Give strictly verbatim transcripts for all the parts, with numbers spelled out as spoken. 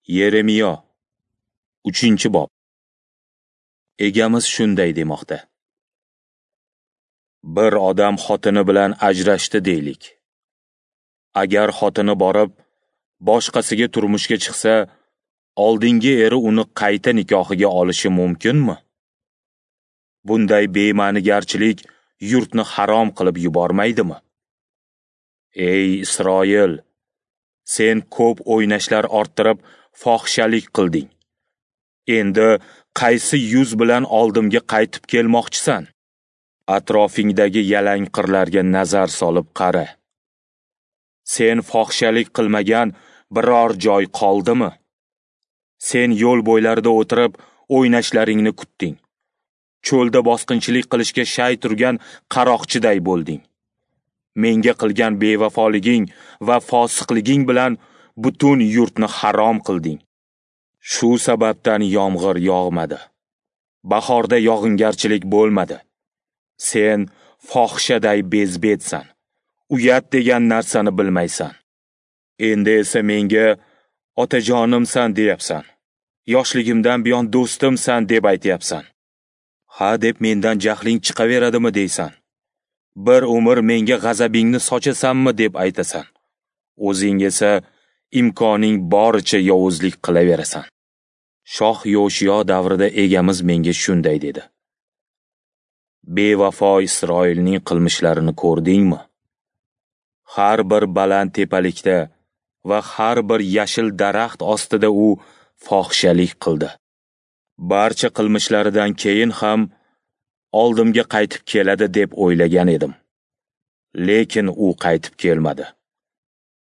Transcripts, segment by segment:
Yeremiyo, uchinchi bob. Egamiz shunday demoqda: Bir odam xotini bilan ajrashdi deylik. Agar xotini borib, boshqasiga turmushga chiqsa, oldingi eri uni qayta nikohiga olishi mumkinmi? Bunday bema'nigarchilik yurtni harom qilib yubormaydimi? Ey Isroil, sen ko'p o'ynashlar orttirib fohishalik qilding. Endi qaysi yuz bilan oldimga qaytib kelmoqchisan? Atrofingdagi yalang qirlarga nazar solib qara. Sen fohishalik qilmagan biror joy qoldimi? Sen yo'l bo'ylarida o'tirib o'ynashlaringni kutding. Cho'lda bosqinchilik qilishga shay turgan qaroqchiday bo'lding. Menga qilgan bevafoliging va fosiqliging bilan butun yurtni harom qilding. Shu sababdan yomg'ir yog'madi. Bahorda yog'ingarchilik bo'lmadi. Sen fohishaday bezbetsan. Uyat degan narsani bilmaysan. Endi esa menga otajonimsan deyapsan. Yoshligimdan buyon do'stimsan deb aytyapsan. Ha deb mendan jahling chiqaveradimi deysan. Bir umr menga g'azabingni sochasanmi deb aytasan. O'zing esa imkoning boricha yovuzlik qilaverasan. Shoh Yoshiyo davrida egamiz menga shunday dedi: Bevafo Isroilning qilmishlarini ko'rdingmi? Har bir baland tepalikda va har bir yashil daraxt ostida u fohishalik qildi. Barcha qilmishlaridan keyin ham oldimga qaytib keladi deb o'ylagan edim. Lekin u qaytib kelmadi.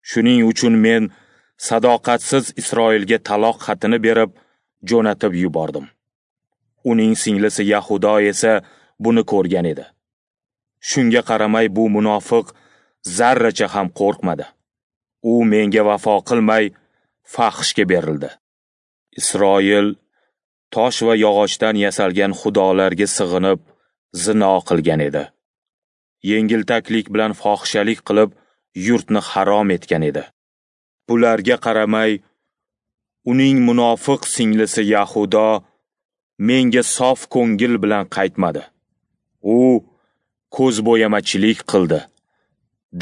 Shuning uchun men sadoqatsiz Isroilga taloq xatini berib, jo'natib yubordim. Uning singlisi Yahudo esa buni ko'rgan edi. Shunga qaramay bu munofiq zarracha ham qo'rqmadi. U menga vafo qilmay fahshga berildi. Isroil tosh va yog'ochdan yasalgan xudolarga sig'inib zino qilgan edi. Yengiltaklik bilan fohishalik qilib yurtni harom etgan edi. Bularga qaramay uning munofiq singlisi Yahudo menga sof ko'ngil bilan qaytmadi. U ko'zbo'yamachilik qildi,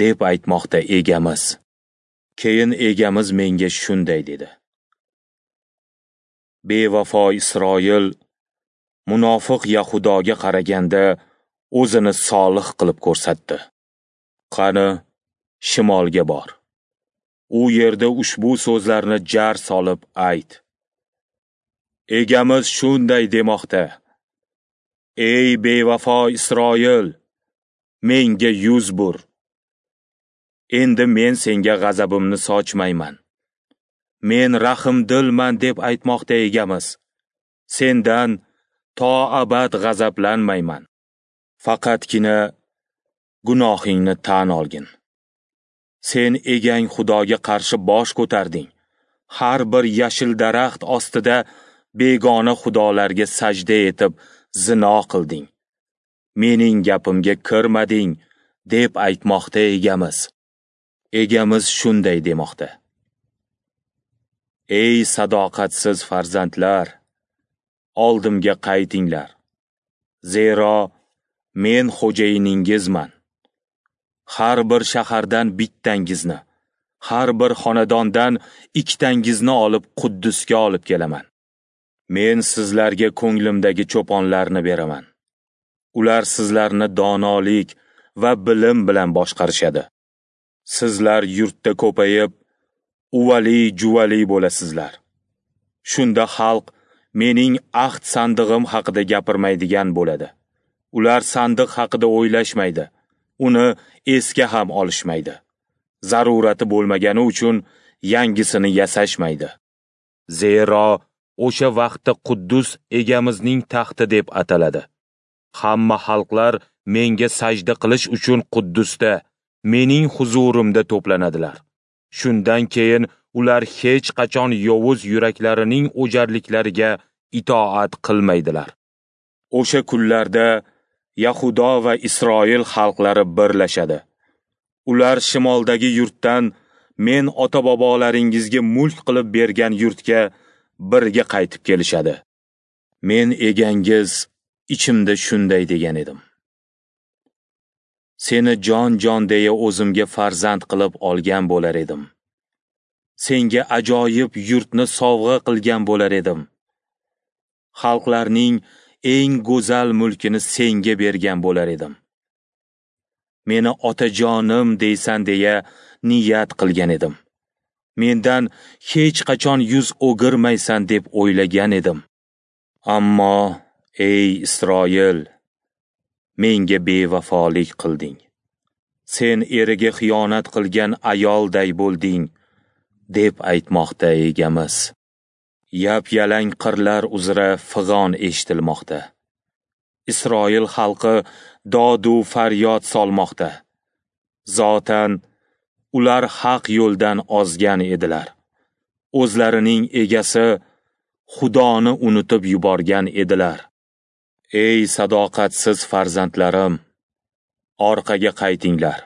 deb aytmoqda egamiz. Keyin egamiz menga shunday dedi: Bevafo Isroil munofiq Yahudoga qaraganda o'zini solih qilib ko'rsatdi. Qani, shimolga bor. U yerda ushbu so'zlarni jar solib ayt. Egamiz shunday demoqda: Ey bevafo Isroil, menga yuz bur. Endi men senga g'azabimni sochmayman. Men rahimdilman deb aytmoqda egamiz. Sendan to abad g'azablanmayman. Faqatgina gunohingni tan olgin. Sen egang Xudoga qarshi bosh ko'tarding. Har bir yashil daraxt ostida begona xudolarga sajda etib zino qilding. Mening gapimga kirmading, deb aytmoqda egamiz. Egamiz shunday demoqda: Ey sadoqatsiz farzandlar, oldimga qaytinglar. Zero men xo'jayiningizman. Har bir shahardan bittangizni, har bir xonadondan ikkitangizni olib Quddusga olib kelaman. Men sizlarga ko'nglimdagi cho'ponlarni beraman. Ular sizlarni donolik va bilim bilan boshqarishadi. Sizlar yurtda ko'payib, uvali-juvali bo'lasizlar. Shunda xalq mening ahd sandig'im haqida gapirmaydigan bo'ladi. Ular sandiq haqida o'ylashmaydi, uni esga ham olishmaydi. Zarurati bo'lmagani uchun yangisini yasashmaydi. Zero o'sha vaqtda Quddus egamizning taxti deb ataladi. Hamma xalqlar menga sajda qilish uchun Quddusda, mening huzurimda to'planadilar. Shundan keyin ular hech qachon yovuz yuraklarining o'jarliklariga itoat qilmaydilar. O'sha kunlarda Yahudo va Isroil xalqlari birlashadi. Ular shimoldagi yurtdan men ota-bobolaringizga mulk qilib bergan yurtga birga qaytib kelishadi. Men egangiz ichimda shunday degan edim: Seni jon-jon deya o'zimga farzand qilib olgan bo'lar edim. Senga ajoyib yurtni sovg'a qilgan bo'lar edim. Xalqlarning eng go'zal mulkini senga bergan bo'lar edim. Meni otajonim deysan deya niyat qilgan edim. Mendan hech qachon yuz o'girmaysan deb o'ylagan edim. Ammo ey Isroil, menga bevafolik qilding. Sen eriga xiyonat qilgan ayolday bo'lding, deb aytmoqda egamiz. Yap-yalang qirlar uzra fig'on eshitilmoqda. Isroil xalqi dodu faryod solmoqda. Zotan ular haq yo'ldan ozgan edilar. O'zlarining egasi Xudoni unutib yuborgan edilar. Ey sadoqatsiz farzandlarim, orqaga qaytinglar.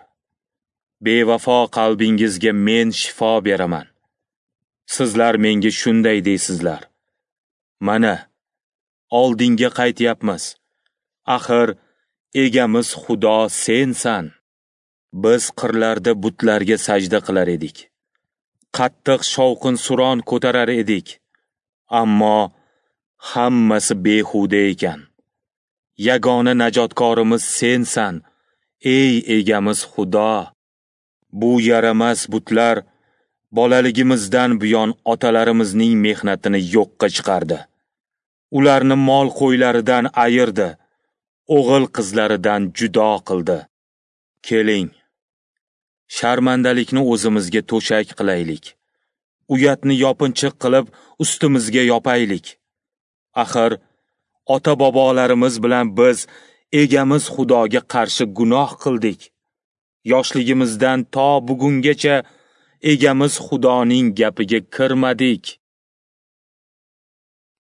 Bevafo qalbingizga men shifo beraman. Sizlar menga shunday deysizlar: Mana, oldinga qaytyapmiz. Axir egamiz Xudo sensan. Biz qirlarda butlarga sajda qilar edik. Qattiq shovqin-suron ko'tarar edik. Ammo hammasi behuda ekan. Yagona najotkorimiz sensan, ey egamiz Xudo. Bu yaramas butlar bolaligimizdan buyon otalarimizning mehnatini yo'qqa chiqardi. Ularni mol qo'ylaridan ayirdi, o'g'il qizlaridan judo qildi. Keling, sharmandalikni o'zimizga to'shak qilaylik. Uyatni yopinchiq qilib ustimizga yopaylik. Axir ota-bobolarimiz bilan biz egamiz Xudoga qarshi gunoh qildik. Yoshligimizdan to bugungacha egamiz Xudoning gapiga kirmadik.